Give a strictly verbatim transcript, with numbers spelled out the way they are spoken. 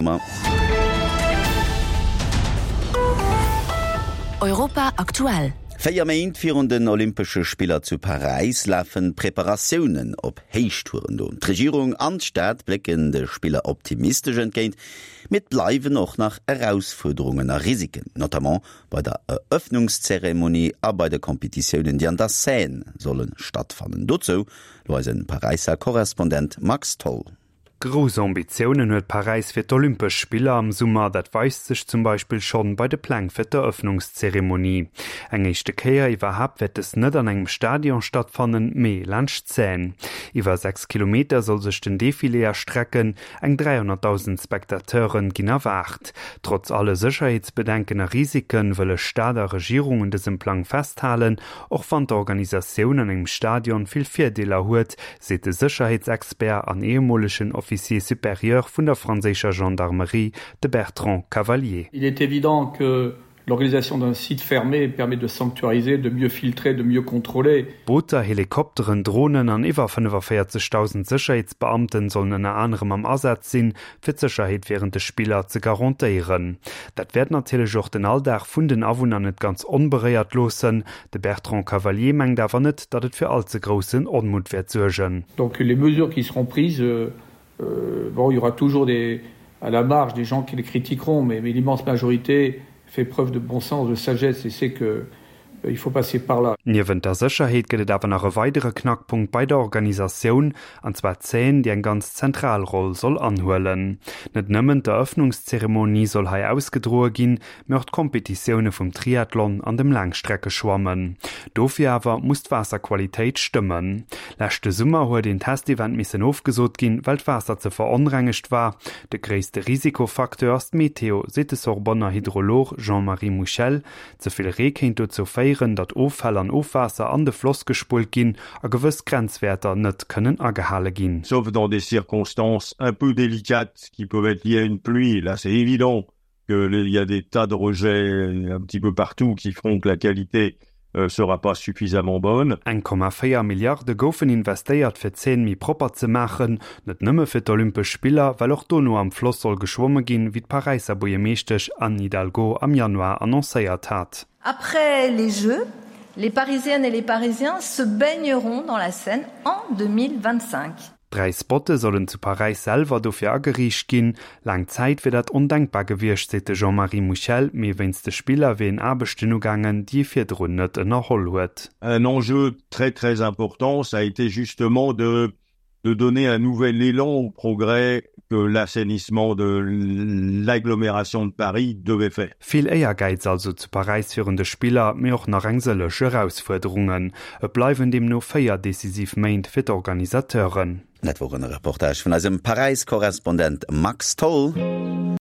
Sommer. Europa aktuell. Véier Méint virun den Olympesche Spiller zu Paräis lafen d'Preparatiounen op Héichtouren. D'Regierung an d'Stad blécken de Spiller optimistesch entgéint, mee et bleiwen och nach Erausfuerderungen a Risiken, notamment bei der Eröffnungszeremonie a bei de Kompetitiounen, déi an der Seine solle stattfannen. Dozou lo eise Paräisser Korrespondent Max Tholl. Grouss Ambitiounen huet Paräis fir d'Olympesch Spiller am Summer, dat weist sech zum Beispill schonn bei de Pläng fir d'Eröffnungszeremonie. Eng éischte Kéier iwwerhaapt wäert dës net an engem Stadion stattfannen, mee laanscht d'Seine. Iwwer sechs Kilometer soll sech den Defilé erstrecken, eng dräihonnertdausend Spectateure ginn erwaart. Trotz alle Sécherheetsbedenken a Risike wëlle Stad a Regierung un dësem Plang festhalen, och wann d'Organisatioun an engem Stadion vill Virdeeler huet, seet de Sécherheetsexpert an ehemolegen Officier supérieur vun der franséischer Gendarmerie, de Bertrand Cavalier. Il est évident que l'organisation d'un site fermé permet de sanctuariser, de mieux filtrer, de mieux contrôler. Booter, Helikopteren, Dronen an iwwer fënnefavéierzegdausend Sécherheetsbeamten sollen ënner anerem am Asaz sinn, fir d'Sécherheet wärend de Spiller ze garantéieren. Dat wäert natierlech och den Alldag vun den Awunner net ganz onberéiert loossen. De Bertrand Cavalier mengt awer net, datt et fir all ze groussen Onmutt wäert suergen. Donc les mesures qui seront prises, bon, il y aura toujours des, à la marge des gens qui les critiqueront, mais, mais l'immense majorité fait preuve de bon sens, de sagesse et sait que il faut passer par là. Niewent der Sécherheet gëtt et awer nach e weidere Knackpunkt bei der Organisatioun, an zwar d'Seine, déi eng ganz zentral Roll soll anhuelen. Net nëmmen d'Eröffnungszeremonie soll hei ausgedroe ginn, mee och d'Kompetitioune vum Triathlon an dem Laangstreckeschwammen. Dofir awer muss d'Waasserqualitéit stëmmen. Leschte Summer huet een Testevent missen ofgesot ginn, well d'Waasser ze veronrengegt war. De gréisste Risikofacteur ass d'Meteo, seet de Sorbonner Hydrolog Jean-Marie Mouchel. Ze vill Ree kéint dozou féieren, datt Offäll an Ofwaasser an de Floss gespullt ginn a gewëss Grenzwäerter net kënnen agehale ginn. Sauf dans des circonstances un peu délicates qui peuvent être liées à une pluie, là c'est évident que il y a des tas de rejets un petit peu partout qui feront que la qualité sera pas suffisamment bonne. Eng Komma véier Milliarde goufen investéiert fir d'Seine méi propper ze maachen, net nëmme fir d'Olympesch Spiller, well och dono am Floss soll geschwomme ginn, wéi d'Paräisser Buergermeeschtesch Anne Hidalgo am Januar annoncéiert hat. Après les Jeux, les Parisiennes et les Parisiens se baigneront dans la Seine en deux mille vingt-cinq. Dräi Spotte sollen zu Paräis selwer dofir ageriicht ginn. Laang Zäit wier dat ondenkbar gewiescht, seet de Jean-Marie Mouchel, mee wéinst de Spiller wier een Aarbechten ugaangen, déi ee virdrun net ënnerholl huet. Un enjeu très très important, ça a été justement de de donner un nouvel élan au progrès que l'assainissement de l'agglomération de Paris devait faire. Vill Éiergäiz also zu Paräis virun de Spiller, mee och nach eng sëlleg Erausfuerderungen. Et bleiwen deemno véier decisiv Méint fir d'Organisateuren. Dat wor en Reportage vun eisem Paräis-Korrespondent Max Tholl.